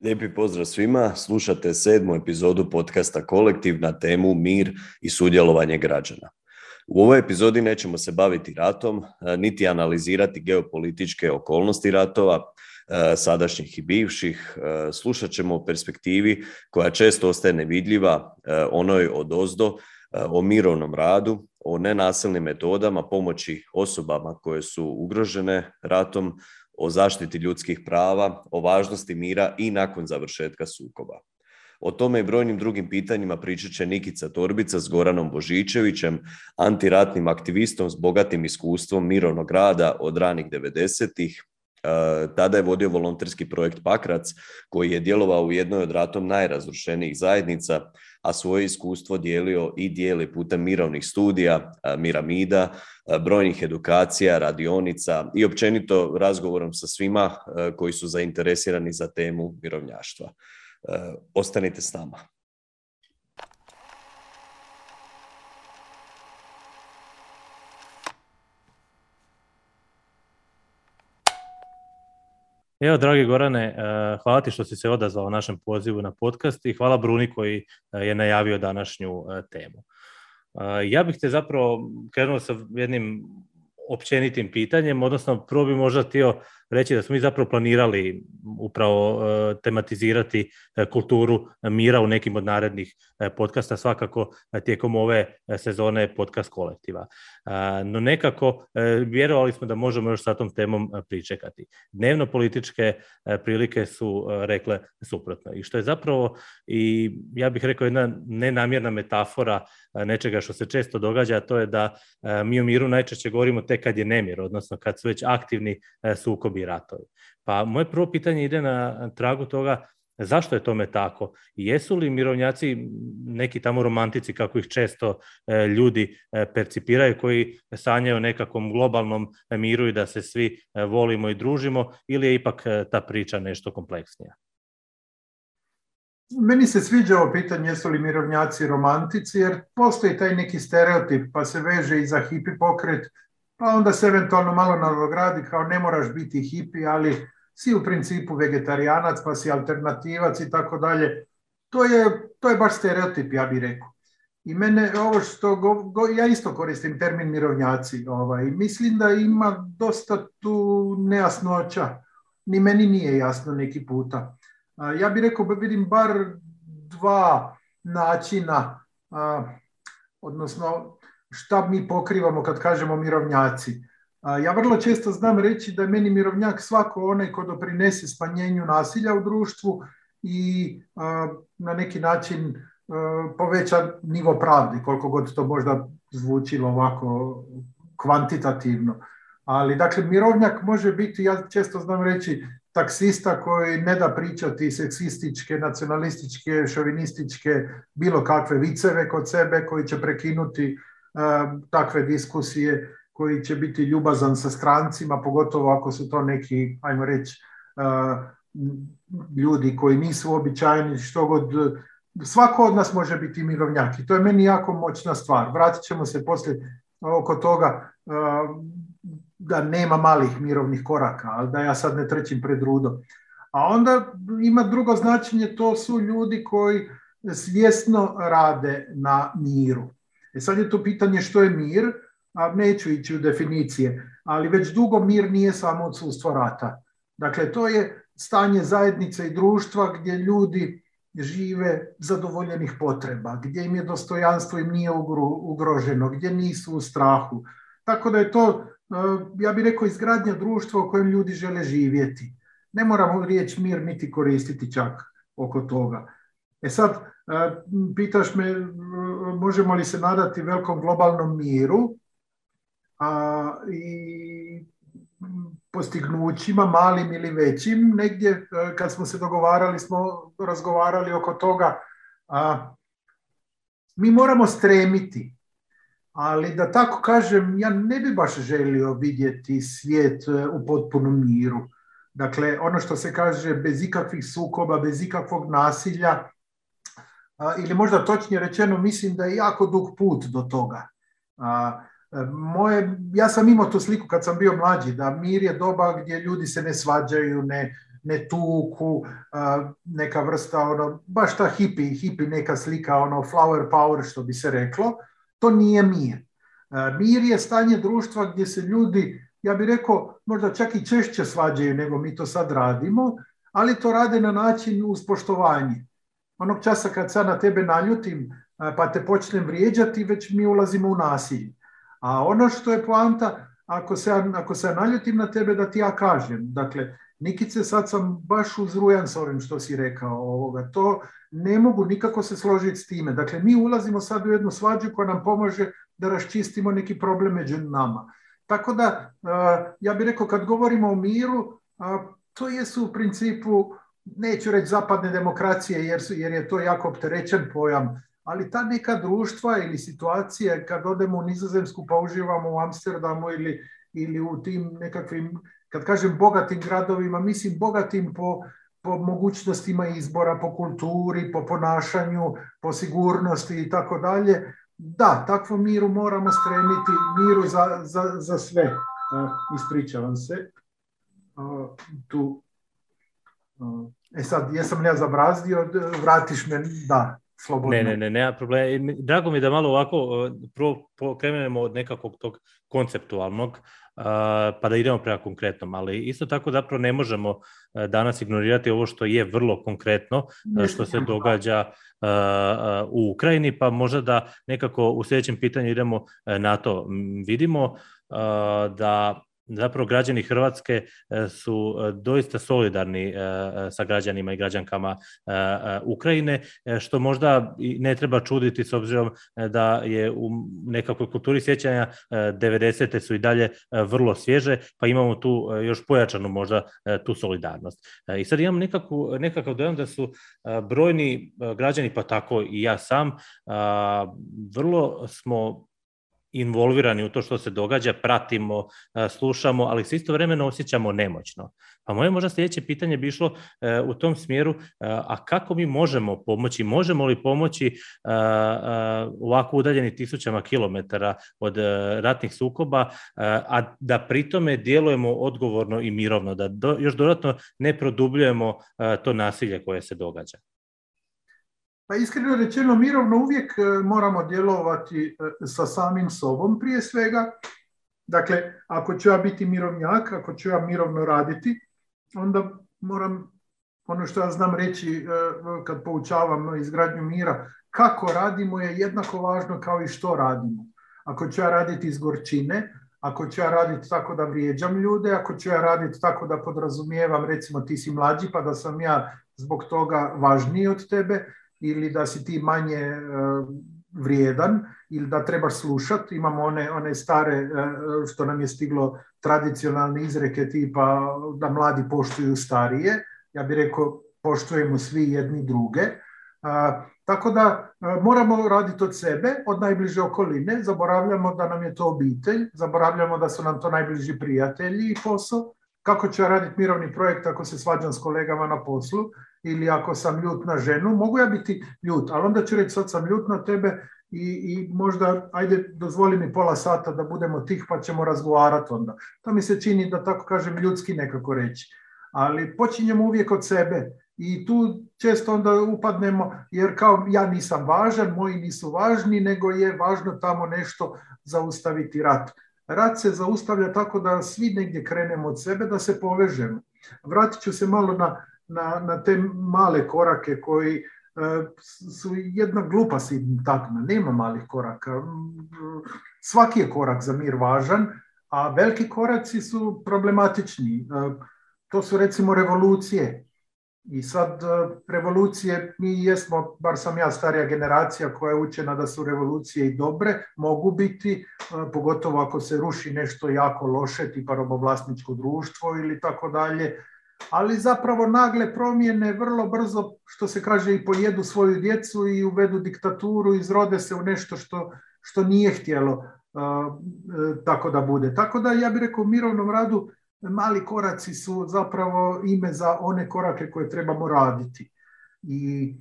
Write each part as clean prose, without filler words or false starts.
Lijepi pozdrav svima, slušate 7. epizodu podcasta Kolektiv na temu Mir i sudjelovanje građana. U ovoj epizodi nećemo se baviti ratom, niti analizirati geopolitičke okolnosti ratova, sadašnjih i bivših. Slušat ćemo o perspektivi koja često ostaje nevidljiva, onoj odozdo, o mirovnom radu, o nenasilnim metodama pomoći osobama koje su ugrožene ratom, o zaštiti ljudskih prava, o važnosti mira i nakon završetka sukoba. O tome i brojnim drugim pitanjima pričat će Nikica Torbica s Goranom Božičevićem, antiratnim aktivistom s bogatim iskustvom mirovnog rada od ranih 90-ih. Tada je vodio volonterski projekt Pakrac, koji je djelovao u jednoj od ratom najrazrušenijih zajednica, a svoje iskustvo dijelio i dijeli putem mirovnih studija, miramida, brojnih edukacija, radionica i općenito razgovorom sa svima koji su zainteresirani za temu mirovnjaštva. Ostanite s nama. Evo, dragi Gorane, hvala ti što si se odazvao našem pozivu na podcast i hvala Bruni koji je najavio današnju temu. Ja bih te zapravo krenuo sa jednim općenitim pitanjem, odnosno prvo bi možda htio reći da smo mi zapravo planirali upravo tematizirati kulturu mira u nekim od narednih podcasta, svakako tijekom ove sezone podcast kolektiva. No nekako vjerovali smo da možemo još sa tom temom pričekati. Dnevno političke prilike su rekle suprotno. I što je zapravo, i ja bih rekao, jedna nenamjerna metafora nečega što se često događa, a to je da mi o miru najčešće govorimo tek kad je nemir, odnosno kad su već aktivni sukobi i ratovi. Pa moje prvo pitanje ide na tragu toga zašto je tome tako i jesu li mirovnjaci neki tamo romantici, kako ih često ljudi percipiraju, koji sanjaju o nekakvom globalnom miru i da se svi volimo i družimo, ili je ipak ta priča nešto kompleksnija? Meni se sviđa ovo pitanje jesu li mirovnjaci romantici, jer postoji taj neki stereotip, pa se veže i za hipi pokret, pa onda se eventualno malo nadogradi kao ne moraš biti hipi, ali si u principu vegetarijanac, pa si alternativac i tako dalje. To je baš stereotip, ja bih rekao. I mene ovo što ja isto koristim termin mirovnjaci, mislim da ima dosta tu nejasnoća. Ni meni nije jasno neki puta. Ja bih rekao, vidim bar dva načina, odnosno šta mi pokrivamo kad kažemo mirovnjaci. Ja vrlo često znam reći da je meni mirovnjak svako onaj ko doprinese smanjenju nasilja u društvu i na neki način poveća nivo pravde, koliko god to možda zvučilo ovako kvantitativno. Ali dakle, mirovnjak može biti, ja često znam reći, taksista koji ne da pričati seksističke, nacionalističke, šovinističke, bilo kakve viceve kod sebe, koji će prekinuti takve diskusije, koji će biti ljubazan sa strancima, pogotovo ako su to neki, ajmo reći, ljudi koji nisu običajni, što god. Svako od nas može biti mirovnjak i to je meni jako moćna stvar. Vratit ćemo se poslije oko toga da nema malih mirovnih koraka, ali da ja sad ne trčim pred rudo. A onda ima drugo značenje, to su ljudi koji svjesno rade na miru. Sad je to pitanje što je mir, a neću ići u definicije, ali već dugo mir nije samo odsustvo rata. Dakle, to je stanje zajednice i društva gdje ljudi žive zadovoljenih potreba, gdje im je dostojanstvo im nije ugroženo, gdje nisu u strahu. Tako da je to, ja bih rekao, izgradnja društva u kojem ljudi žele živjeti. Ne moramo riječ mir niti koristiti čak oko toga. Sad, pitaš me možemo li se nadati velikom globalnom miru i postignućima, malim ili većim. Negdje kad smo se dogovarali, smo razgovarali oko toga. Mi moramo stremiti, ali da tako kažem, ja ne bi baš želio vidjeti svijet u potpunom miru. Dakle, ono što se kaže bez ikakvih sukoba, bez ikakvog nasilja, ili možda točnije rečeno, mislim da je jako dug put do toga. Ja sam imao tu sliku kad sam bio mlađi, da mir je doba gdje ljudi se ne svađaju, ne tuku, neka vrsta, baš ta hipi neka slika, flower power što bi se reklo, to nije mir. Mir je stanje društva gdje se ljudi, ja bih rekao, možda čak i češće svađaju nego mi to sad radimo, ali to rade na način uz poštovanje. Onog časa kad sad na tebe naljutim pa te počnem vrijeđati, već mi ulazimo u nasilje. A ono što je poanta, ako se naljutim na tebe, da ti ja kažem. Dakle, Nikice, sad sam baš uzrujan s ovim što si rekao. To ne mogu nikako se složiti s time. Dakle, mi ulazimo sad u jednu svađu koja nam pomaže da raščistimo neki problem među nama. Tako da, ja bih rekao, kad govorimo o miru, to jesu u principu, neću reći zapadne demokracije, jer je to jako opterećen pojam, ali ta neka društva ili situacije, kad odemo u Nizozemsku pa uživamo u Amsterdamu ili u tim nekakvim, kad kažem bogatim gradovima, mislim bogatim po mogućnostima izbora, po kulturi, po ponašanju, po sigurnosti i tako dalje. Da, takvom miru moramo stremiti, miru za sve. Ispričavam se. Sad, jesam li ja zabrazdio, vratiš me, da, slobodno. Ne, nema problema. Drago mi je da malo ovako krenemo od nekakvog tog konceptualnog, pa da idemo prema konkretnom, ali isto tako zapravo ne možemo danas ignorirati ovo što je vrlo konkretno, što se događa u Ukrajini, pa možda da nekako u sljedećem pitanju idemo na to. Vidimo da zapravo građani Hrvatske su doista solidarni sa građanima i građankama Ukrajine, što možda ne treba čuditi s obzirom da je u nekakvoj kulturi sjećanja 90. su i dalje vrlo svježe, pa imamo tu još pojačanu možda tu solidarnost. I sad imam nekakav dojam da su brojni građani, pa tako i ja sam, vrlo smo involvirani u to što se događa, pratimo, slušamo, ali se istovremeno osjećamo nemoćno. Pa moje možda sljedeće pitanje bi išlo u tom smjeru, a kako mi možemo pomoći, možemo li pomoći ovako udaljeni tisućama kilometara od ratnih sukoba, a da pritome djelujemo odgovorno i mirovno, da još dodatno ne produbljujemo to nasilje koje se događa? Pa iskreno rečeno, mirovno uvijek moramo djelovati sa samim sobom prije svega. Dakle, ako ću ja biti mirovnjak, ako ću ja mirovno raditi, onda moram, ono što ja znam reći kad poučavam izgradnju mira, kako radimo je jednako važno kao i što radimo. Ako ću ja raditi iz gorčine, ako ću ja raditi tako da vrijeđam ljude, ako ću ja raditi tako da podrazumijevam, recimo ti si mlađi pa da sam ja zbog toga važniji od tebe, ili da si ti manje vrijedan, ili da trebaš slušati. Imamo one stare, što nam je stiglo, tradicionalne izreke tipa da mladi poštuju starije. Ja bih rekao, poštujemo svi jedni druge. Tako da moramo raditi od sebe, od najbliže okoline. Zaboravljamo da nam je to obitelj, zaboravljamo da su nam to najbliži prijatelji i posao. Kako ću ja raditi mirovni projekt ako se svađam s kolegama na poslu ili ako sam ljut na ženu? Mogu ja biti ljut, ali onda ću reći sad sam ljut na tebe i možda, ajde, dozvoli mi pola sata da budemo tih pa ćemo razgovarati onda. To mi se čini, da tako kažem, ljudski nekako reći. Ali počinjemo uvijek od sebe i tu često onda upadnemo, jer kao ja nisam važan, moji nisu važni, nego je važno tamo nešto zaustaviti rat. Rat se zaustavlja tako da svi negdje krenemo od sebe, da se povežemo. Vratit ću se malo na te male korake koji su jedna glupa sintagma. Nema malih koraka. Svaki je korak za mir važan, a veliki koraci su problematični. To su recimo revolucije. I sad revolucije, mi jesmo, bar sam ja starija generacija koja je učena da su revolucije i dobre, mogu biti, pogotovo ako se ruši nešto jako loše, tipa robovlasničko društvo ili tako dalje, ali zapravo nagle promjene vrlo brzo, što se kaže, i pojedu svoju djecu i uvedu diktaturu, izrode se u nešto što nije htjelo tako da bude. Tako da ja bih rekao, u mirovnom radu mali koraci su zapravo ime za one korake koje trebamo raditi. I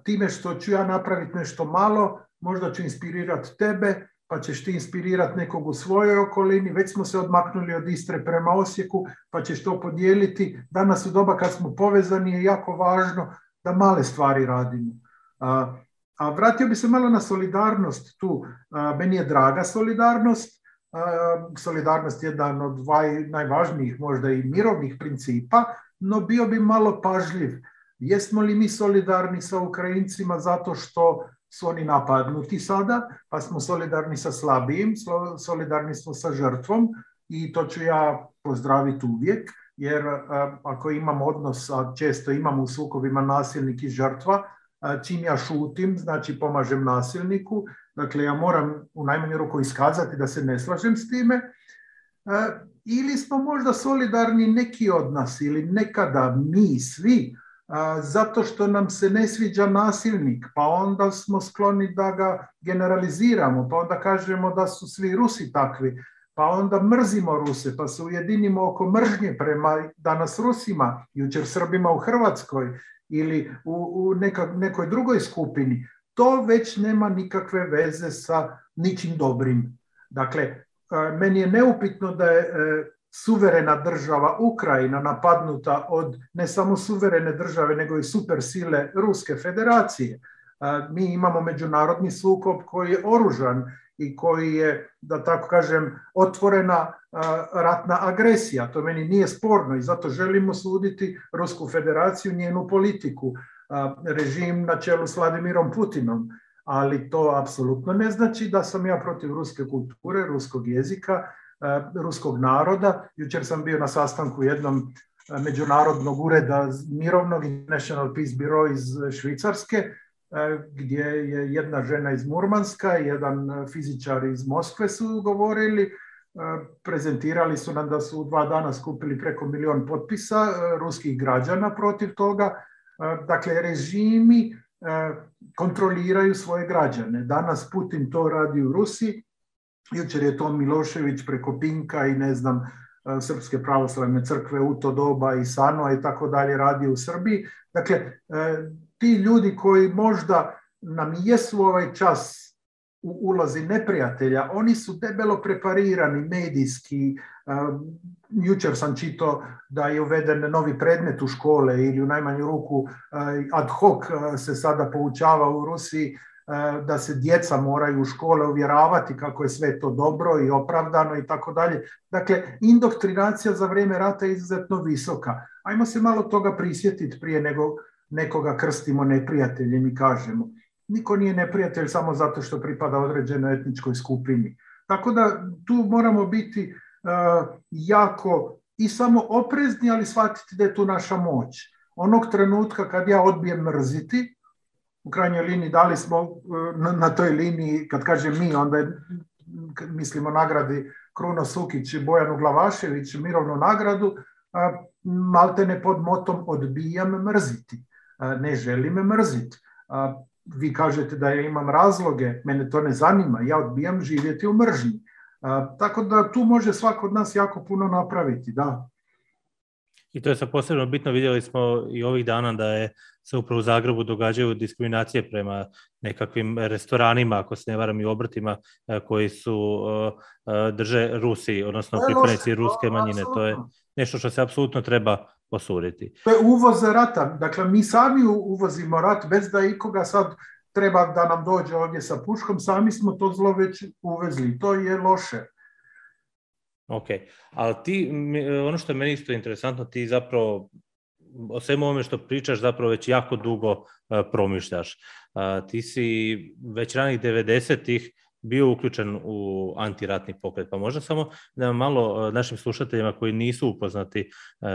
time što ću ja napraviti nešto malo, možda ću inspirirati tebe, pa ćeš ti inspirirati nekog u svojoj okolini, već smo se odmaknuli od Istre prema Osijeku, pa ćeš to podijeliti. Danas u doba kad smo povezani je jako važno da male stvari radimo. A vratio bi se malo na solidarnost tu. Meni je draga solidarnost. Solidarnost je jedan od najvažnijih možda i mirovnih principa, no bio bi malo pažljiv. Jesmo li mi solidarni sa Ukrajincima zato što su oni napadnuti sada, pa smo solidarni sa slabijim, solidarni smo sa žrtvom i to ću ja pozdraviti uvijek, jer ako imamo odnos, a često imamo u sukobima nasilnik i žrtva, čim ja šutim, znači pomažem nasilniku, dakle ja moram u najmanju ruku iskazati da se ne slažem s time, ili smo možda solidarni neki od nas ili nekada mi svi, zato što nam se ne sviđa nasilnik, pa onda smo skloni da ga generaliziramo, pa onda kažemo da su svi Rusi takvi, pa onda mrzimo Ruse, pa se ujedinimo oko mržnje prema danas Rusima, jučer Srbima u Hrvatskoj ili u nekoj drugoj skupini. To već nema nikakve veze sa ničim dobrim. Dakle, meni je neupitno da je suverena država Ukrajina napadnuta od ne samo suverene države, nego i supersile Ruske federacije. Mi imamo međunarodni sukob koji je oružan i koji je, da tako kažem, otvorena ratna agresija. To meni nije sporno i zato želimo suditi Rusku federaciju, njenu politiku, režim na čelu s Vladimirom Putinom. Ali to apsolutno ne znači da sam ja protiv ruske kulture, ruskog jezika, ruskog naroda. Jučer sam bio na sastanku jednom međunarodnog ureda mirovnog International Peace Bureau iz Švicarske, gdje je jedna žena iz Murmanska, jedan fizičar iz Moskve su govorili, prezentirali su nam da su u 2 dana skupili preko 1 milion potpisa ruskih građana protiv toga. Dakle, režimi kontroliraju svoje građane. Danas Putin to radi u Rusiji, jučer je to Milošević preko Pinka i ne znam, Srpske pravoslavne crkve u to doba i Sanoa i tako dalje radi u Srbiji. Dakle, ti ljudi koji možda nam jesu ovaj čas u ulozi neprijatelja, oni su debelo preparirani medijski. Jučer sam čitao da je uveden novi predmet u škole ili u najmanju ruku ad hoc se sada poučava u Rusiji da se djeca moraju u škole uvjeravati kako je sve to dobro i opravdano i tako dalje. Dakle, indoktrinacija za vrijeme rata je izuzetno visoka. Ajmo se malo toga prisjetiti prije nego nekoga krstimo neprijateljem i kažemo. Niko nije neprijatelj samo zato što pripada određenoj etničkoj skupini. Tako da tu moramo biti jako i samo oprezni, ali shvatiti da je tu naša moć. Onog trenutka kad ja odbijem mrziti, u krajnjoj liniji dali smo na toj liniji, kad kažem mi, onda je, mislimo nagradi Kruno Sukić i Bojanu Glavašević mirovnu nagradu, maltene pod motom odbijam mrziti. Ne želim mrziti. Vi kažete da ja imam razloge, mene to ne zanima, ja odbijam živjeti u mržnji. Tako da tu može svako od nas jako puno napraviti, da. I to je sad posebno bitno, vidjeli smo i ovih dana da se upravo u Zagrebu događaju diskriminacije prema nekakvim restoranima, ako se ne varam i obrtima, koji su drže Rusi, odnosno pripadnici ruske manjine. To je nešto što se apsolutno treba osuditi. To je uvoz rata. Dakle, mi sami uvozimo rat bez da ikoga sad treba da nam dođe ovdje sa puškom. Sami smo to zlo već uvezli. To je loše. Ok, ali ti, ono što je meni isto interesantno, ti zapravo o svemu ovome što pričaš zapravo već jako dugo promišljaš. Ti si već ranih 90-ih bio uključen u antiratni pokret, pa možda samo da malo našim slušateljima koji nisu upoznati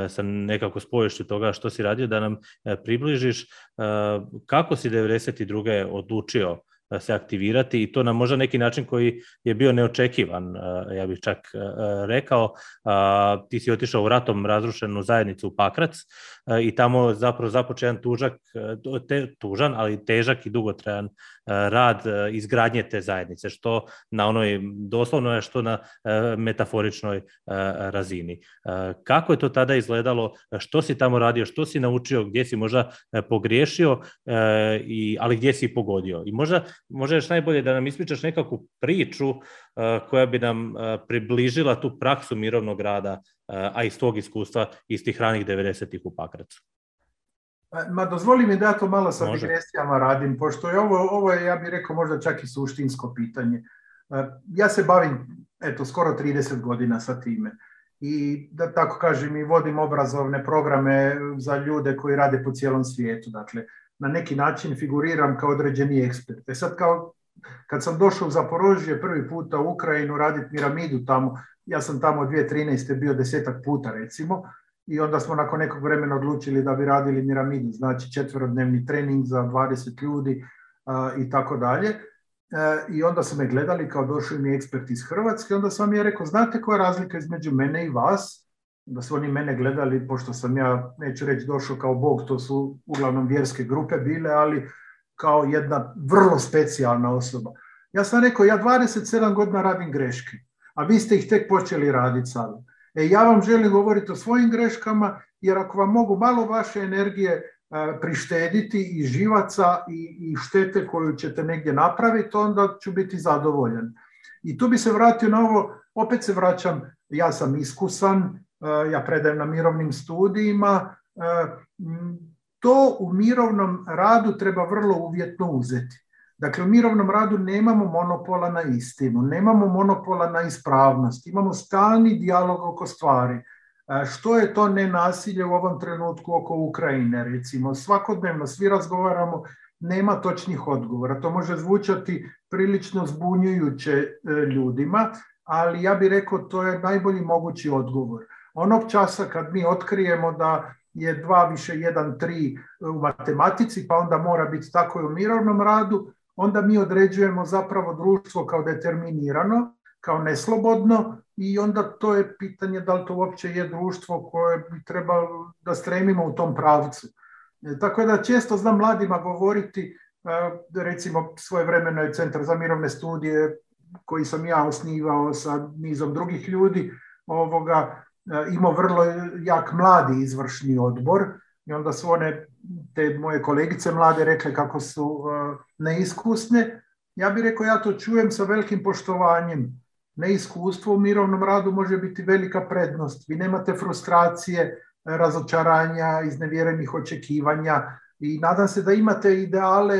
sa nekako spoješću toga što si radio, da nam približiš kako si 92. odlučio se aktivirati i to na možda neki način koji je bio neočekivan, ja bih čak rekao. Ti si otišao u ratom razrušenu zajednicu u Pakrac i tamo zapravo započeo jedan tužan, ali težak i dugotrajan rad izgradnje te zajednice, što na onoj doslovnoj, što na metaforičnoj razini. Kako je to tada izgledalo, što si tamo radio, što si naučio, gdje si možda pogriješio, ali gdje si pogodio? I možda možda još najbolje da nam ispričaš nekakvu priču koja bi nam približila tu praksu mirovnog rada, a iz tog iskustva iz tih ranih 90-ih u Pakracu. Ma dozvoli mi da ja to malo sa digresijama radim, pošto je ovo je, ja bih rekao, možda čak i suštinsko pitanje. Ja se bavim, skoro 30 godina sa time. I da tako kažem, i vodim obrazovne programe za ljude koji rade po cijelom svijetu. Dakle, na neki način figuriram kao određeni ekspert. Sad kad sam došao u Zaporožje prvi puta u Ukrajinu raditi piramidu tamo, ja sam tamo 2013. bio 10 puta recimo, i onda smo nakon nekog vremena odlučili da bi radili piramidu, znači 4-dnevni trening za 20 ljudi i tako dalje. I onda su me gledali kao došli mi ekspert iz Hrvatske, onda sam je rekao, znate koja je razlika između mene i vas? Da su oni mene gledali, pošto sam ja, neću reći došao kao Bog, to su uglavnom vjerske grupe bile, ali kao jedna vrlo specijalna osoba. Ja sam rekao, ja 27 godina radim greške, a vi ste ih tek počeli raditi sada. Ja vam želim govoriti o svojim greškama, jer ako vam mogu malo vaše energije prištediti i živaca i štete koju ćete negdje napraviti, onda ću biti zadovoljan. I tu bi se vratio na ovo, opet se vraćam, ja sam iskusan, ja predajem na mirovnim studijima, to u mirovnom radu treba vrlo uvjetno uzeti. Dakle, u mirovnom radu nemamo monopola na istinu, nemamo monopola na ispravnost, imamo stalni dijalog oko stvari. Što je to nenasilje u ovom trenutku oko Ukrajine, recimo? Svakodnevno svi razgovaramo, nema točnih odgovora. To može zvučati prilično zbunjujuće ljudima, ali ja bih rekao to je najbolji mogući odgovor. Onog časa kad mi otkrijemo da je 2 više 1, 3 u matematici, pa onda mora biti tako i u mirovnom radu, onda mi određujemo zapravo društvo kao determinirano, kao neslobodno, i onda to je pitanje da li to uopće je društvo koje bi trebalo da stremimo u tom pravcu. Tako da često znam mladima govoriti, recimo svojevremeno je Centar za mirovne studije koji sam ja osnivao sa nizom drugih ljudi, imao vrlo jak mladi izvršni odbor, i onda su one, te moje kolegice mlade, rekle kako su neiskusne. Ja bih rekao, ja to čujem sa velikim poštovanjem. Neiskustvo u mirovnom radu može biti velika prednost. Vi nemate frustracije, razočaranja, iznevjerenih očekivanja i nadam se da imate ideale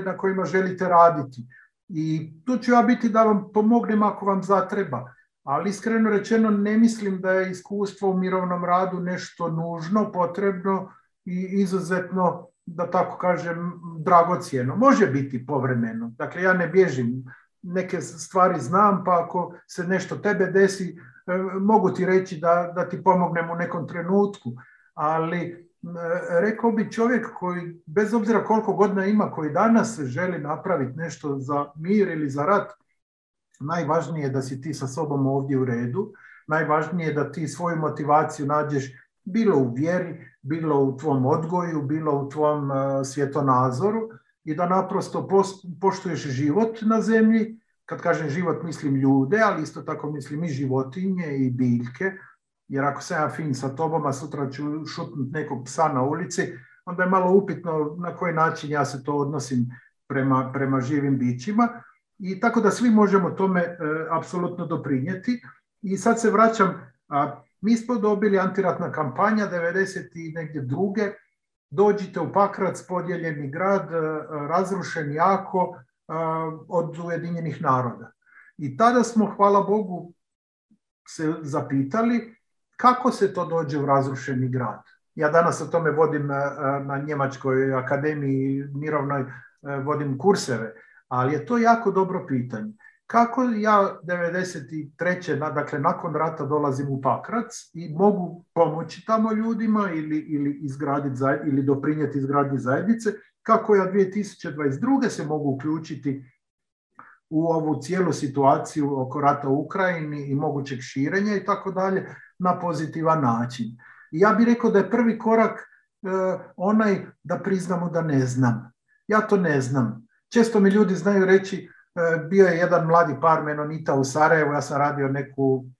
na kojima želite raditi. I tu ću ja biti da vam pomognem ako vam zatreba. Ali iskreno rečeno ne mislim da je iskustvo u mirovnom radu nešto nužno, potrebno i izuzetno, da tako kažem, dragocjeno. Može biti povremeno. Dakle, ja ne bježim. Neke stvari znam, pa ako se nešto tebe desi, mogu ti reći da ti pomognem u nekom trenutku. Ali rekao bi čovjek koji, bez obzira koliko godina ima, koji danas želi napraviti nešto za mir ili za rat, najvažnije je da si ti sa sobom ovdje u redu, najvažnije je da ti svoju motivaciju nađeš bilo u vjeri, bilo u tvom odgoju, bilo u tvom svjetonazoru i da naprosto poštuješ život na zemlji. Kad kažem život mislim ljude, ali isto tako mislim i životinje i biljke, jer ako sam ja fin sa tobom, a sutra ću šutnuti nekog psa na ulici, onda je malo upitno na koji način ja se to odnosim prema živim bićima. I tako da svi možemo tome apsolutno doprinijeti. I sad se vraćam, mi smo dobili antiratna kampanja 92. Dođite u Pakrac, podijeljeni grad, razrušen jako od Ujedinjenih naroda. I tada smo, hvala Bogu, se zapitali kako se to dođe u razrušeni grad. Ja danas o tome vodim na Njemačkoj akademiji mirovnoj, vodim kurseve, ali je to jako dobro pitanje. Kako ja 93. dakle nakon rata dolazim u Pakrac i mogu pomoći tamo ljudima ili doprinijeti izgradnji zajednice, kako ja 2022. se mogu uključiti u ovu cijelu situaciju oko rata u Ukrajini i mogućeg širenja i tako dalje na pozitivan način. I ja bih rekao da je prvi korak onaj da priznamo da ne znam. Ja to ne znam. Često mi ljudi znaju reći, bio je jedan mladi par menonita u Sarajevu, ja sam radio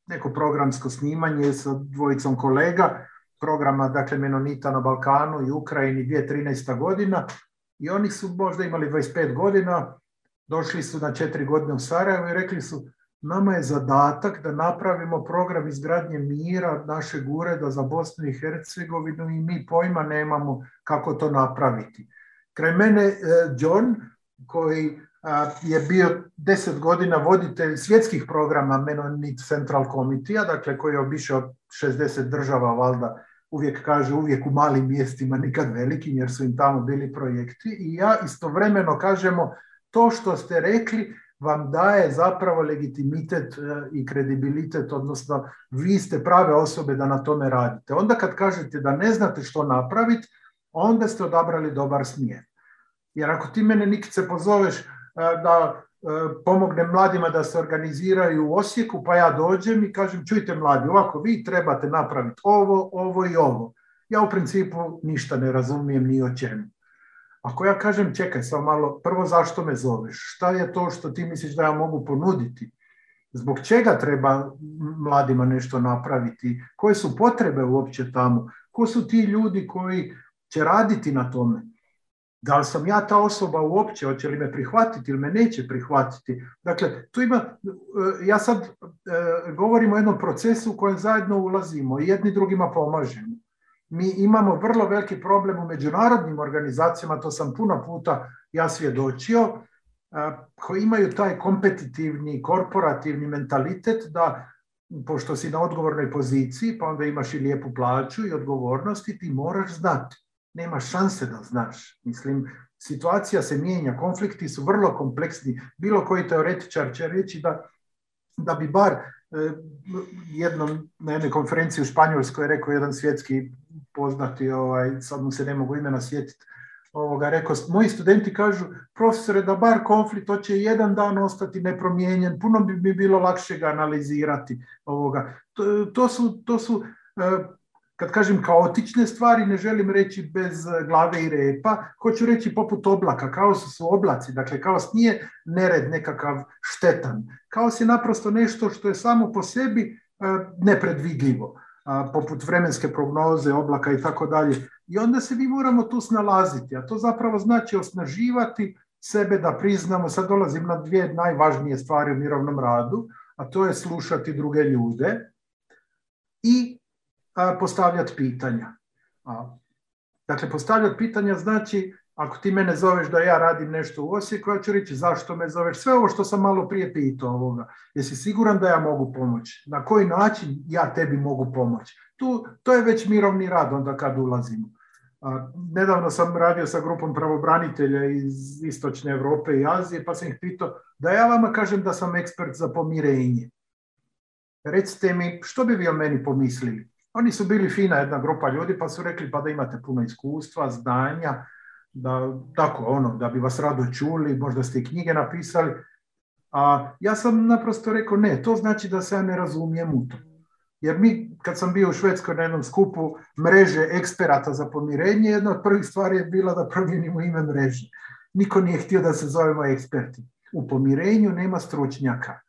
neko programsko snimanje sa dvojicom kolega, programa dakle menonita na Balkanu i Ukrajini 2013. godina, i oni su možda imali 25 godina, došli su na 4 godine u Sarajevo i rekli su nama je zadatak da napravimo program izgradnje mira našeg ureda za Bosnu i Hercegovinu i mi pojma nemamo kako to napraviti. Kraj mene John, koji je bio 10 godina voditelj svjetskih programa Mennonite Central Committee, dakle koji je obišao 60 država, valjda uvijek kaže uvijek u malim mjestima, nikad velikim, jer su im tamo bili projekti. I ja istovremeno kažemo, to što ste rekli vam daje zapravo legitimitet i kredibilitet, odnosno vi ste prave osobe da na tome radite. Onda kad kažete da ne znate što napraviti, onda ste odabrali dobar smjer. Jer ako ti mene Nikice pozoveš da pomognem mladima da se organiziraju u Osijeku, pa ja dođem i kažem, čujte mladi, ovako vi trebate napraviti ovo i ovo. Ja u principu ništa ne razumijem ni o čemu. Ako ja kažem, čekaj samo malo, prvo zašto me zoveš? Šta je to što ti misliš da ja mogu ponuditi? Zbog čega treba mladima nešto napraviti? Koje su potrebe uopće tamo? Ko su ti ljudi koji će raditi na tome? Da li sam ja ta osoba uopće, hoće li me prihvatiti ili me neće prihvatiti? Dakle, tu ima, ja sad govorim o jednom procesu u kojem zajedno ulazimo i jedni drugima pomažemo. Mi imamo vrlo veliki problem u međunarodnim organizacijama, to sam puno puta ja svjedočio, koji imaju taj kompetitivni, korporativni mentalitet da, pošto si na odgovornoj poziciji, pa onda imaš i lijepu plaću i odgovornosti, ti moraš znati. Nema šanse da znaš. Mislim, situacija se mijenja, konflikti su vrlo kompleksni. Bilo koji teoretičar će reći da bi bar jednom na jednoj konferenciji u Španjolskoj rekao jedan svjetski poznati, sad mu se ne mogu imena sjetiti, rekao, moji studenti kažu, profesore, da bar konflikt hoće jedan dan ostati nepromijenjen, puno bi bilo lakše ga analizirati. To su kad kažem kaotične stvari, ne želim reći bez glave i repa, hoću reći poput oblaka. Kaos su oblaci, dakle kaos nije nered nekakav štetan. Kaos je naprosto nešto što je samo po sebi nepredvidljivo, poput vremenske prognoze, oblaka i tako dalje. I onda se mi moramo tu snalaziti, a to zapravo znači osnaživati sebe da priznamo, sad dolazim na 2 najvažnije stvari u mirovnom radu, a to je slušati druge ljude i postavljati pitanja. Dakle, postavljati pitanja znači, ako ti mene zoveš da ja radim nešto u Osijeku, ja ću reći zašto me zoveš, sve ovo što sam malo prije pitao ovoga. Jesi siguran da ja mogu pomoći? Na koji način ja tebi mogu pomoći? To je već mirovni rad onda kad ulazimo. Nedavno sam radio sa grupom pravobranitelja iz Istočne Europe i Azije, pa sam ih pitao da ja vama kažem da sam ekspert za pomirenje. Recite mi, što bi vi o meni pomislili? Oni su bili fina jedna grupa ljudi, pa su rekli pa da imate puno iskustva, znanja, da bi vas rado čuli, možda ste i knjige napisali. A ja sam naprosto rekao ne, to znači da se ja ne razumijem u to. Jer mi, kad sam bio u Švedskoj na jednom skupu mreže eksperata za pomirenje, jedna od prvih stvari je bila da promijenimo ime mreže. Niko nije htio da se zovemo eksperti. U pomirenju nema stručnjaka.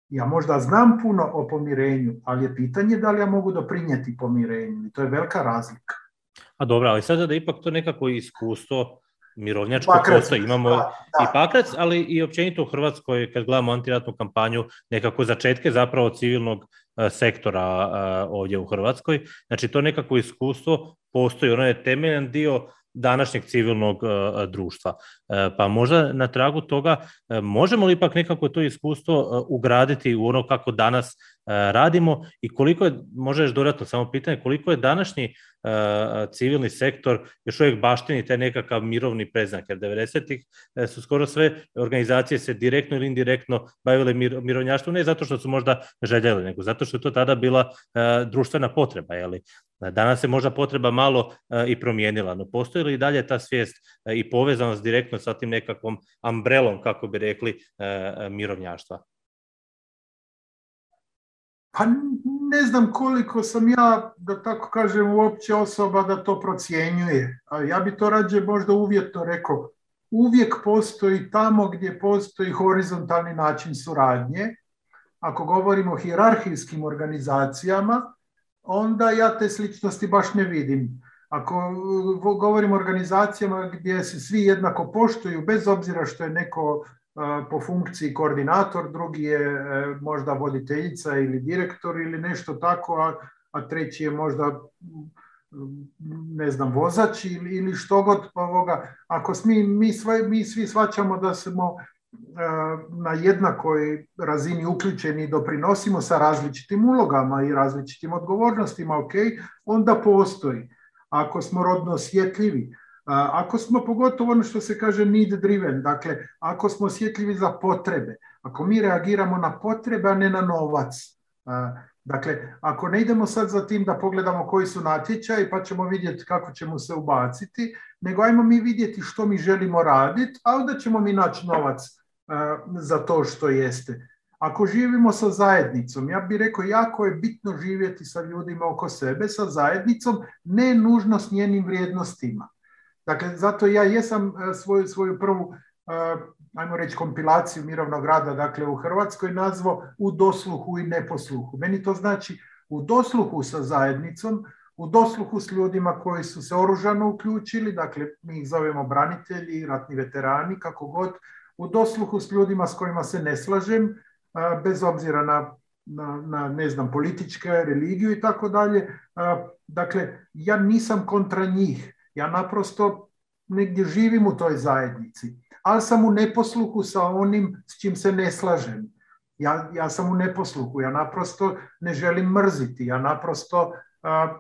Ja možda znam puno o pomirenju, ali je pitanje da li ja mogu doprinijeti pomirenju. I to je velika razlika. A dobro, ali sada da ipak to nekako iskustvo mirovnjačko postoji. Imamo i Pakrac, ali i općenito u Hrvatskoj, kad gledamo antiratnu kampanju, nekako začetke zapravo civilnog sektora ovdje u Hrvatskoj. Znači to nekako iskustvo postoji, ono je temeljan dio današnjeg civilnog društva. Pa možda na tragu toga možemo li ipak nekako to iskustvo ugraditi u ono kako danas radimo i koliko je, možda još dodatno samo pitanje, koliko je današnji civilni sektor još uvijek baštini taj nekakav mirovni predznak, jer 90-ih su skoro sve organizacije se direktno ili indirektno bavile mirovnjaštvom, ne zato što su možda željeli, nego zato što je to tada bila društvena potreba. Jeli? Danas se možda potreba malo i promijenila, no postoji li i dalje ta svijest i povezanost direktno sa tim nekakvom umbrelom, kako bi rekli, mirovnjaštva? Pa ne znam koliko sam ja, da tako kažem, uopće osoba da to procjenjuje. Ja bi to rađe možda uvjetno rekao. Uvijek postoji tamo gdje postoji horizontalni način suradnje. Ako govorimo o hijerarhijskim organizacijama, onda ja te sličnosti baš ne vidim. Ako govorimo o organizacijama gdje se svi jednako poštuju, bez obzira što je neko po funkciji koordinator, drugi je možda voditeljica ili direktor ili nešto tako, a treći je možda ne znam, vozač ili što god ovoga. Ako mi svi shvaćamo da smo na jednakoj razini uključeni i doprinosimo sa različitim ulogama i različitim odgovornostima, onda postoji. Ako smo rodno osjetljivi, ako smo pogotovo ono što se kaže need driven, dakle ako smo osjetljivi za potrebe, ako mi reagiramo na potrebe, a ne na novac. Dakle, ako ne idemo sad za tim da pogledamo koji su natječaji pa ćemo vidjeti kako ćemo se ubaciti, nego ajmo mi vidjeti što mi želimo raditi, a onda ćemo mi naći novac za to što jeste. Ako živimo sa zajednicom, ja bih rekao jako je bitno živjeti sa ljudima oko sebe, sa zajednicom, ne nužno s njenim vrijednostima. Dakle, zato ja jesam svoju prvu, ajmo reći, kompilaciju mirovnog rada, dakle u Hrvatskoj nazvao u dosluhu i neposluhu. Meni to znači u dosluhu sa zajednicom, u dosluhu s ljudima koji su se oružano uključili, dakle mi ih zovemo branitelji, ratni veterani, kako god, u dosluhu s ljudima s kojima se ne slažem, bez obzira na ne znam, političke, religiju i tako dalje. Dakle, ja nisam kontra njih. Ja naprosto negdje živim u toj zajednici, ali sam u neposluhu sa onim s čim se ne slažem. Ja sam u neposluhu, ja naprosto ne želim mrziti, ja naprosto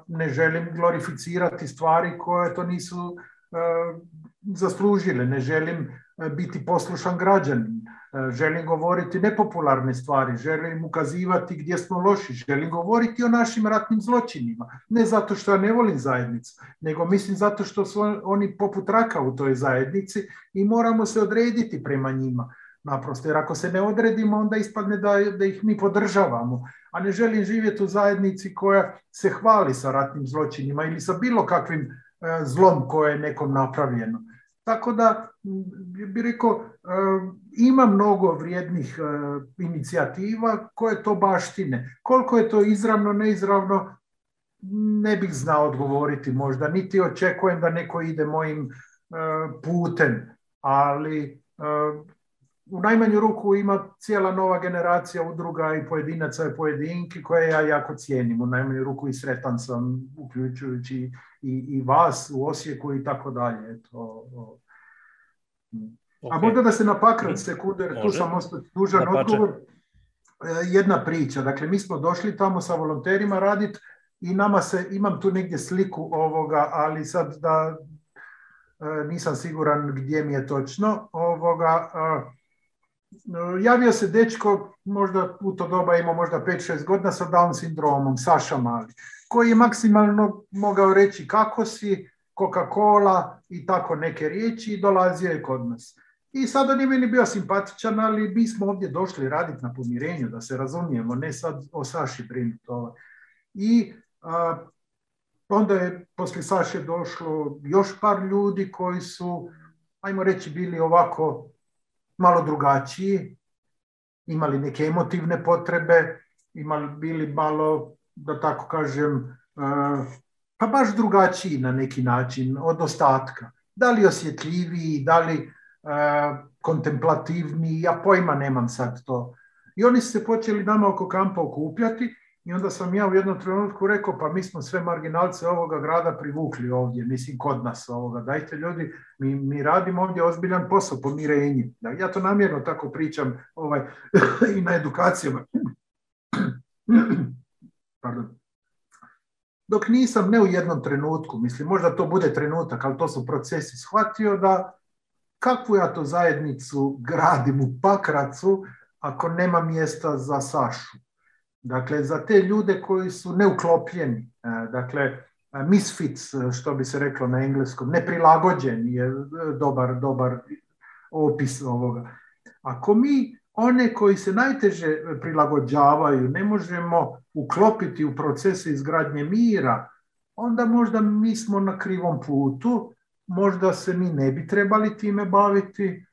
ne želim glorificirati stvari koje to nisu zaslužile, ne želim biti poslušan građanin, želim govoriti nepopularne stvari, želim ukazivati gdje smo loši, želim govoriti o našim ratnim zločinima. Ne zato što ja ne volim zajednicu, nego mislim zato što su oni poput raka u toj zajednici i moramo se odrediti prema njima. Naprosto, jer ako se ne odredimo, onda ispadne da ih mi podržavamo. A ne želim živjeti u zajednici koja se hvali sa ratnim zločinima ili sa bilo kakvim zlom koje je nekom napravljeno. Tako da bih rekao, ima mnogo vrijednih inicijativa koje to baštine. Koliko je to izravno, neizravno, ne bih znao odgovoriti možda, niti očekujem da neko ide mojim putem, ali u najmanju ruku ima cijela nova generacija udruga i pojedinaca i pojedinki koje ja jako cijenim. U najmanju ruku i sretan sam, uključujući i vas u Osijeku i tako dalje. A možda da se napakram sekunde, jer tu sam ostati dužan odgovor. Jedna priča, dakle mi smo došli tamo sa volonterima raditi i imam tu negdje sliku ovoga, ali sad da nisam siguran gdje mi je točno. Javio se dečko, možda u to doba imao možda 5-6 godina sa Down sindromom, Saša Mali, koji je maksimalno mogao reći kako si, Coca-Cola i tako neke riječi i dolazio je kod nas. I sad on je meni bio simpatičan, ali mi smo ovdje došli raditi na pomirenju, da se razumijemo, ne sad o Saši brinuti. I onda je poslije Saše došlo još par ljudi koji su, ajmo reći, bili ovako malo drugačiji, imali neke emotivne potrebe, bili malo, da tako kažem, pa baš drugačiji na neki način od ostatka. Da li osjetljiviji, da li kontemplativniji, ja pojma nemam sad to. I oni su se počeli nama oko kampa okupljati i onda sam ja u jednom trenutku rekao, pa mi smo sve marginalce ovoga grada privukli ovdje, mislim kod nas ovoga. Dajte ljudi, mi radimo ovdje ozbiljan posao, pomirenje. Ja to namjerno tako pričam i na edukacijama. Pardon. Dok nisam, ne u jednom trenutku, mislim, možda to bude trenutak, ali to su procesi, shvatio da kakvu ja to zajednicu gradim u Pakracu ako nema mjesta za Sašu. Dakle, za te ljude koji su neuklopljeni, dakle, misfits, što bi se reklo na engleskom, neprilagođeni je dobar opis ovoga. Ako mi one koji se najteže prilagođavaju ne možemo uklopiti u procese izgradnje mira, onda možda mi smo na krivom putu, možda se mi ne bi trebali time baviti,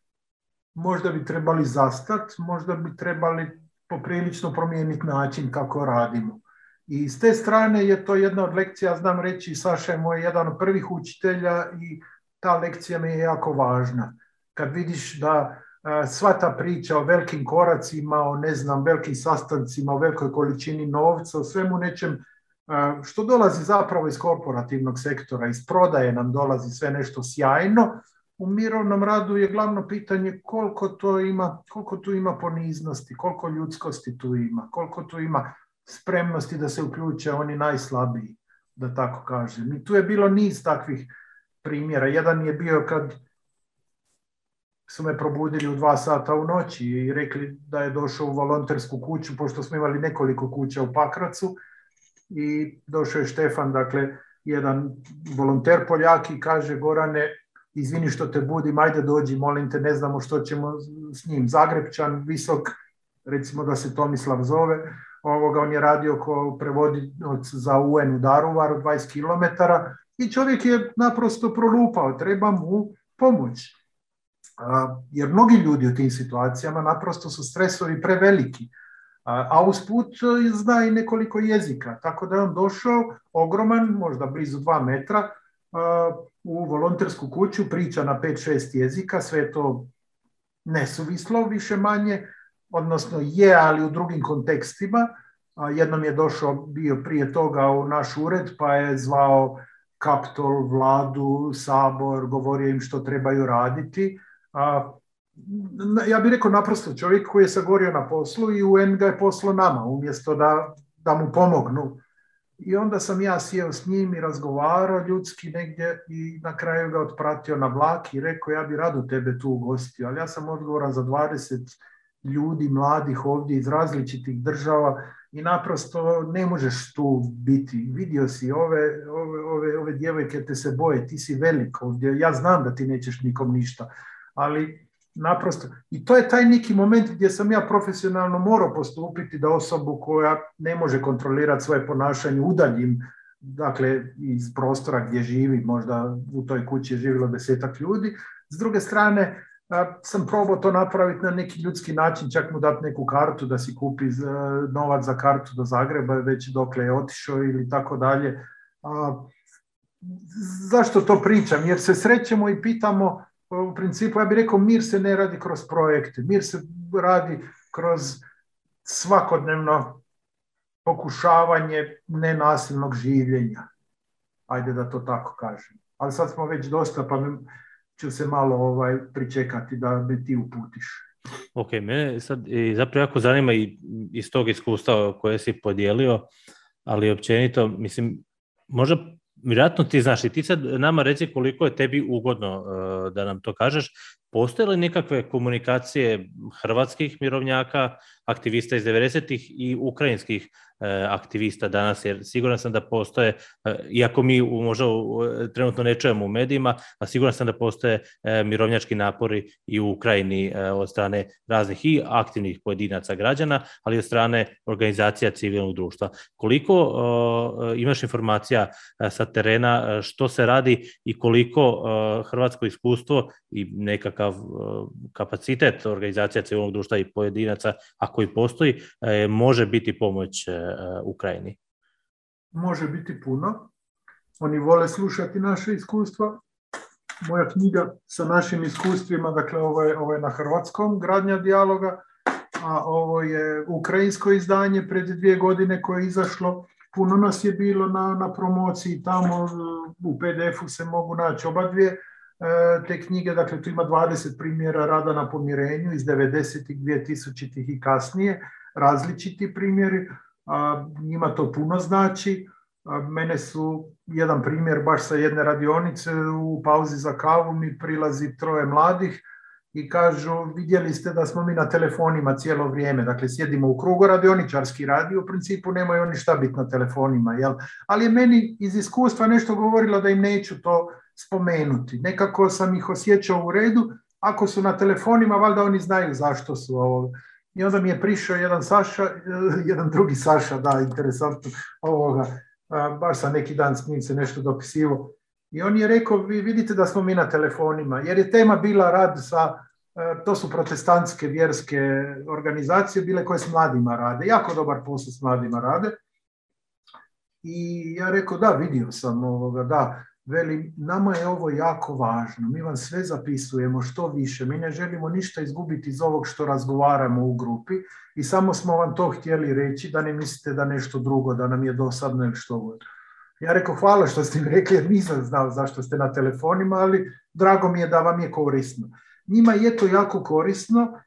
možda bi trebali zastati, možda bi trebali poprilično promijeniti način kako radimo. I s te strane je to jedna od lekcija, znam reći, Saša je moj jedan od prvih učitelja i ta lekcija mi je jako važna. Kad vidiš da sva ta priča o velikim koracima, o ne znam, velikim sastancima, o velikoj količini novca, o svemu nečem što dolazi zapravo iz korporativnog sektora, iz prodaje nam dolazi sve nešto sjajno. U mirovnom radu je glavno pitanje koliko tu ima poniznosti, koliko ljudskosti tu ima, koliko tu ima spremnosti da se uključe oni najslabiji, da tako kažem. I tu je bilo niz takvih primjera. Jedan je bio kad su me probudili u 2 sata u noći i rekli da je došao u volontersku kuću, pošto smo imali nekoliko kuća u Pakracu, i došao je Štefan, dakle, jedan volonter Poljak, i kaže: Gorane, izvini što te budim, ajde dođi, molim te, ne znamo što ćemo s njim. Zagrebčan, visok, recimo da se Tomislav zove, on je radio kao prevodilac za UN u Daruvaru, 20 km, i čovjek je naprosto prolupao, treba mu pomoć. Jer mnogi ljudi u tim situacijama naprosto su stresovi preveliki, a usput zna i nekoliko jezika, tako da je on došao ogroman, možda blizu 2 metra, u volontersku kuću, priča na 5-6 jezika, sve to nesuvislo više manje, odnosno je, ali u drugim kontekstima. Jednom je bio prije toga u naš ured, pa je zvao Kaptol, vladu, sabor, govorio im što trebaju raditi. Ja bih rekao naprosto čovjek koji je sagorio na poslu i UN ga je poslao nama, umjesto da mu pomognu. I onda sam ja sjeo s njim i razgovarao ljudski negdje i na kraju ga otpratio na vlak i rekao: ja bih rado tebe tu ugostio, ali ja sam odgovoran za 20 ljudi mladih ovdje iz različitih država i naprosto ne možeš tu biti. Vidio si ove djevojke te se boje, ti si velik ovdje, ja znam da ti nećeš nikom ništa, ali naprosto, i to je taj neki moment gdje sam ja profesionalno morao postupiti da osobu koja ne može kontrolirati svoje ponašanje udaljim, dakle, iz prostora gdje živi, možda u toj kući je živjelo 10-ak ljudi. S druge strane, sam probao to napraviti na neki ljudski način, čak mu dati neku kartu da si kupi novac za kartu do Zagreba, već dokle je otišao ili tako dalje. Zašto to pričam? Jer se srećemo i pitamo, u principu, ja bih rekao, mir se ne radi kroz projekte, mir se radi kroz svakodnevno pokušavanje nenasilnog življenja. Ajde da to tako kažem. Ali sad smo već dosta, pa ću se malo pričekati da me ti uputiš. Ok, mene sad zapravo jako zanima i iz tog iskustva koje si podijelio, ali općenito, mislim, možda vjerojatno ti znaš i ti sad nama reci koliko je tebi ugodno da nam to kažeš. Postoje li nekakve komunikacije hrvatskih mirovnjaka, aktivista iz 90-ih i ukrajinskih aktivista danas, jer siguran sam da postoje, iako mi možda trenutno ne čujemo u medijima, a siguran sam da postoje mirovnjački napori i u Ukrajini od strane raznih i aktivnih pojedinaca građana, ali i od strane organizacija civilnog društva. Koliko imaš informacija sa terena što se radi i koliko hrvatsko iskustvo i nekakav kapacitet organizacija civilnog društva i pojedinaca, ako i postoji, može biti pomoć Ukrajini? Može biti puno. Oni vole slušati naše iskustva. Moja knjiga sa našim iskustvima, dakle ovo je na hrvatskom, Gradnja dijaloga, a ovo je ukrajinsko izdanje pred 2 godine koje je izašlo. Puno nas je bilo na promociji tamo, u PDF-u se mogu naći obadvije te knjige, dakle tu ima 20 primjera rada na pomirenju iz 90-ih, 2000-ih i kasnije, različiti primjeri, njima to puno znači. Mene su jedan primjer baš sa jedne radionice, u pauzi za kavu mi prilazi 3 mladih i kažu: vidjeli ste da smo mi na telefonima cijelo vrijeme, dakle sjedimo u krugu, radioničarski radi, u principu nemaju oni šta biti na telefonima, jel? Ali je meni iz iskustva nešto govorilo da im neću to spomenuti. Nekako sam ih osjećao u redu, ako su na telefonima, valjda oni znaju zašto su ovo. I onda mi je prišao jedan drugi Saša, da, interesantno, baš sam neki dan s njim se nešto dopisivo. I on je rekao: vi vidite da smo mi na telefonima, jer je tema bila rad to su protestantske vjerske organizacije bile koje s mladima rade, jako dobar posao s mladima rade. I ja rekao: da, vidio sam da, veli, nama je ovo jako važno, mi vam sve zapisujemo što više, mi ne želimo ništa izgubiti iz ovog što razgovaramo u grupi i samo smo vam to htjeli reći, da ne mislite da nešto drugo, da nam je dosadno ili što god. Ja rekao, hvala što ste mi rekli, jer nisam znao zašto ste na telefonima, ali drago mi je da vam je korisno. Njima je to jako korisno,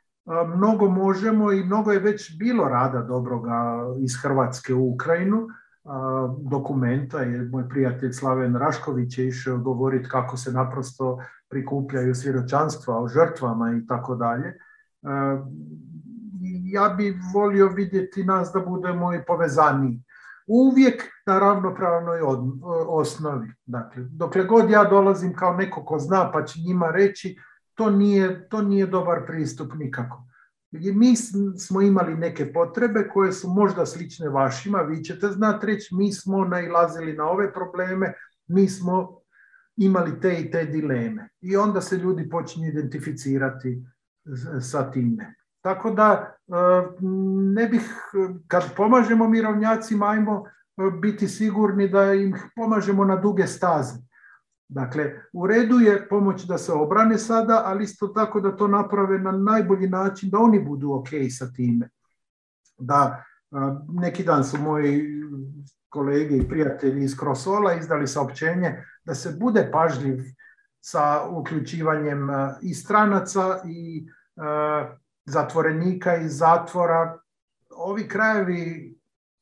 mnogo možemo i mnogo je već bilo rada dobroga iz Hrvatske u Ukrajinu, dokumenta, je moj prijatelj Slaven Rašković je išao govoriti kako se naprosto prikupljaju svjedočanstva o žrtvama i tako dalje. Ja bi volio vidjeti nas da budemo i povezaniji. Uvijek na ravnopravnoj osnovi. Dakle, dokle god ja dolazim kao neko ko zna pa će njima reći, to nije dobar pristup nikako. Mi smo imali neke potrebe koje su možda slične vašima, vi ćete znati reći, mi smo nailazili na ove probleme, mi smo imali te i te dileme. I onda se ljudi počinju identificirati sa time. Tako da ne bih, kad pomažemo mirovnjacima, ajmo biti sigurni da im pomažemo na duge staze. Dakle, u redu je pomoć da se obrane sada, ali isto tako da to naprave na najbolji način, da oni budu ok sa time. Da, neki dan su moji kolege i prijatelji iz Krosola izdali saopćenje da se bude pažljiv sa uključivanjem i stranaca i zatvorenika iz zatvora. Ovi krajevi,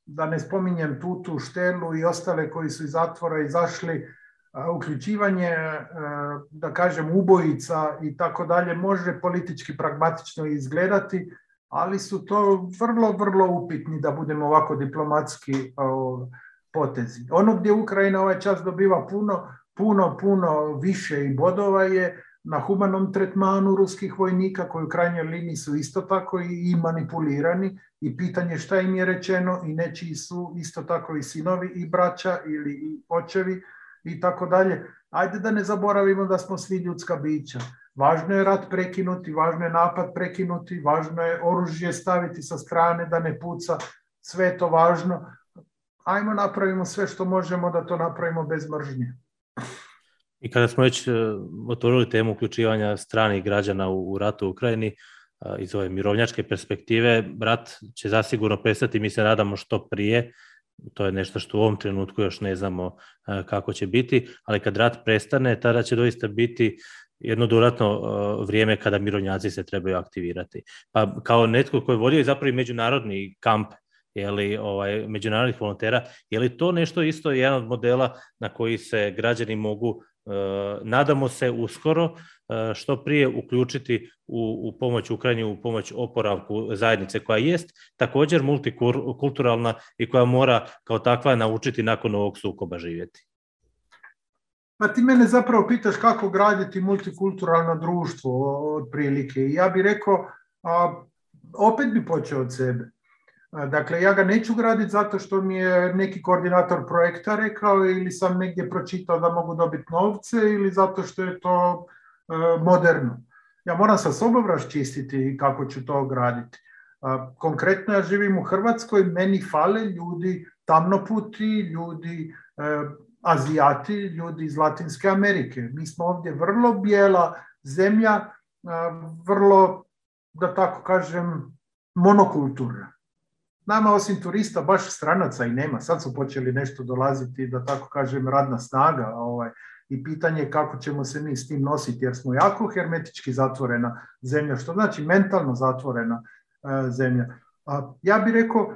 da ne spominjem Tutu, Štelu i ostale koji su iz zatvora izašli, uključivanje, da kažem, ubojica i tako dalje može politički pragmatično izgledati, ali su to vrlo, vrlo upitni, da budemo ovako diplomatski potezi. Ono gdje Ukrajina ovaj čas dobiva puno više i bodova je na humanom tretmanu ruskih vojnika koji u krajnjoj liniji su isto tako i manipulirani i pitanje šta im je rečeno i nečiji su isto tako i sinovi i braća ili i očevi i tako dalje. Ajde da ne zaboravimo da smo svi ljudska bića. Važno je rat prekinuti, važno je napad prekinuti, važno je oružje staviti sa strane da ne puca, sve je to važno. Ajmo napravimo sve što možemo da to napravimo bez mržnje. I kada smo već otvorili temu uključivanja stranih građana u ratu u Ukrajini, iz ove mirovnjačke perspektive, rat će zasigurno prestati, mi se nadamo što prije. To je nešto što u ovom trenutku još ne znamo kako će biti, ali kad rat prestane, tada će doista biti jedno dodatno vrijeme kada mirovnjaci se trebaju aktivirati. Pa kao netko koji je vodio zapravo međunarodni kamp, međunarodnih volontera, je li to nešto isto jedan od modela na koji se građani mogu, nadamo se uskoro, što prije uključiti u pomoć Ukrajini, u pomoć oporavku zajednice koja jest također multikulturalna i koja mora kao takva naučiti nakon ovog sukoba živjeti? Pa ti mene zapravo pitaš kako graditi multikulturalno društvo otprilike. Ja bih rekao, opet bi počeo od sebe. Dakle, ja ga neću graditi zato što mi je neki koordinator projekta rekao ili sam negdje pročitao da mogu dobiti novce ili zato što je to moderno. Ja moram sa sobom raščistiti kako ću to graditi. Konkretno ja živim u Hrvatskoj, meni fale ljudi tamnoputi, ljudi Azijati, ljudi iz Latinske Amerike. Mi smo ovdje vrlo bijela zemlja, vrlo, da tako kažem, monokulturna. Nama osim turista baš stranaca i nema. Sad su počeli nešto dolaziti, da tako kažem, radna snaga. I pitanje je kako ćemo se mi s tim nositi, jer smo jako hermetički zatvorena zemlja, što znači mentalno zatvorena zemlja. Ja bih rekao,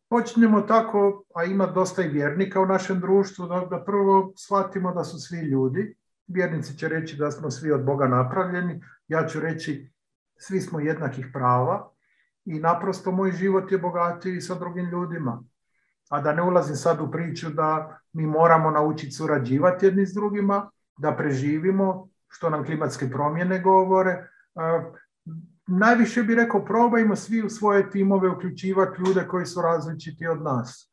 počnemo tako, a ima dosta i vjernika u našem društvu, da prvo shvatimo da su svi ljudi. Vjernici će reći da smo svi od Boga napravljeni, ja ću reći svi smo jednakih prava i naprosto moj život je bogatiji sa drugim ljudima. A da ne ulazim sad u priču da mi moramo naučiti surađivati jedni s drugima, da preživimo, što nam klimatske promjene govore. Najviše bih rekao, probajmo svi u svoje timove uključivati ljude koji su različiti od nas.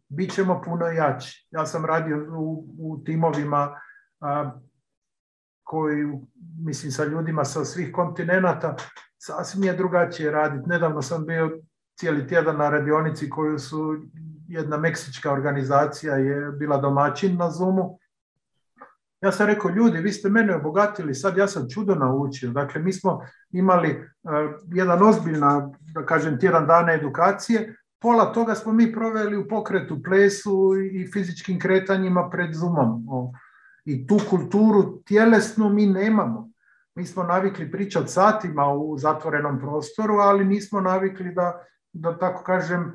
Bićemo puno jači. Ja sam radio u timovima koji, mislim, sa ljudima sa svih kontinenata, sasvim je drugačije raditi. Nedavno sam bio cijeli tjedan na radionici koju su jedna meksička organizacija je bila domaćin na Zoomu Ja sam rekao, ljudi, vi ste mene obogatili, sad ja sam čudo naučio. Dakle, mi smo imali jedan ozbiljna, da kažem, tjedan dana edukacije, pola toga smo mi proveli u pokretu, plesu i fizičkim kretanjima pred Zoomom. I tu kulturu tjelesnu mi nemamo. Mi smo navikli pričati satima u zatvorenom prostoru, ali nismo navikli da tako kažem,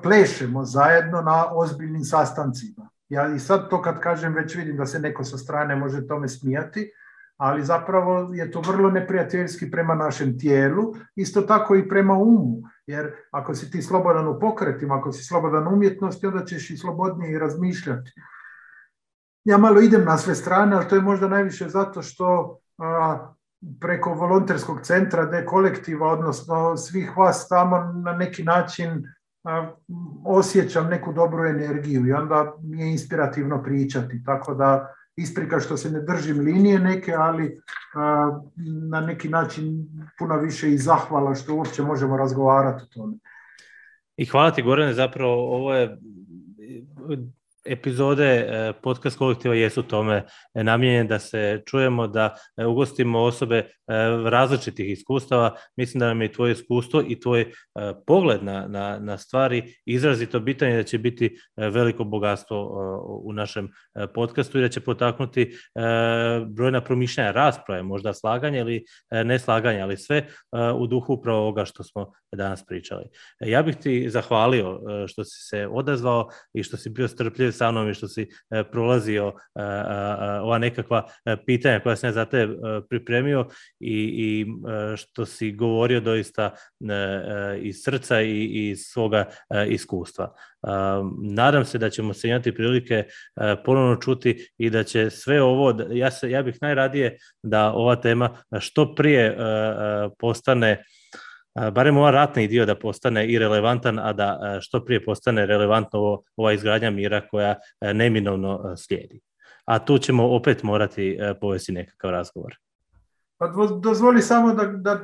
plešemo zajedno na ozbiljnim sastancima. Ja i sad to kad kažem već vidim da se neko sa strane može tome smijati, ali zapravo je to vrlo neprijateljski prema našem tijelu, isto tako i prema umu, jer ako si ti slobodan u pokretima, ako si slobodan u umjetnosti, onda ćeš i slobodnije i razmišljati. Ja malo idem na sve strane, ali to je možda najviše zato što preko volonterskog centra D-kolektiva, odnosno svih vas tamo na neki način osjećam neku dobru energiju i onda mi je inspirativno pričati, tako da isprika što se ne držim linije neke, ali na neki način puno više i zahvala što uopće možemo razgovarati o tome. I hvala ti, Gorane, zapravo ovo je epizode podcast kolektiva jesu tome namijenjene da se čujemo, da ugostimo osobe različitih iskustava. Mislim da nam je tvoje iskustvo i tvoj pogled na stvari izrazito bitan i da će biti veliko bogatstvo u našem podcastu i da će potaknuti brojna promišljanja, rasprave, možda slaganje ili neslaganje, ali sve u duhu upravo ovoga što smo danas pričali. Ja bih ti zahvalio što si se odazvao i što si bio strpljiv sa mnom i što si prolazio ova nekakva pitanja koja sam ja za te pripremio i što si govorio doista iz srca i iz svoga iskustva. Nadam se da ćemo se imati prilike ponovno čuti i da će sve ovo, ja bih najradije da ova tema što prije postane, barem ova ratni dio da postane i relevantan, a da što prije postane relevantno ova izgradnja mira koja neminovno slijedi. A tu ćemo opet morati povesti nekakav razgovor. Pa dozvoli samo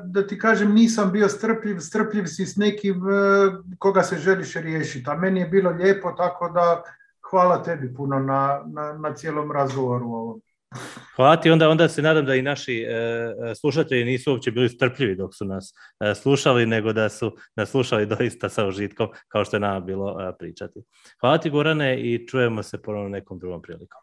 da ti kažem, nisam bio strpljiv si s nekim koga se želiš riješiti, a meni je bilo lijepo, tako da hvala tebi puno na cijelom razgovoru ovom. Hvala ti, onda se nadam da i naši slušatelji nisu uopće bili strpljivi dok su nas slušali, nego da su nas slušali doista sa užitkom, kao što je nama bilo pričati. Hvala ti, Gorane, i čujemo se ponovno nekom drugom prilikom.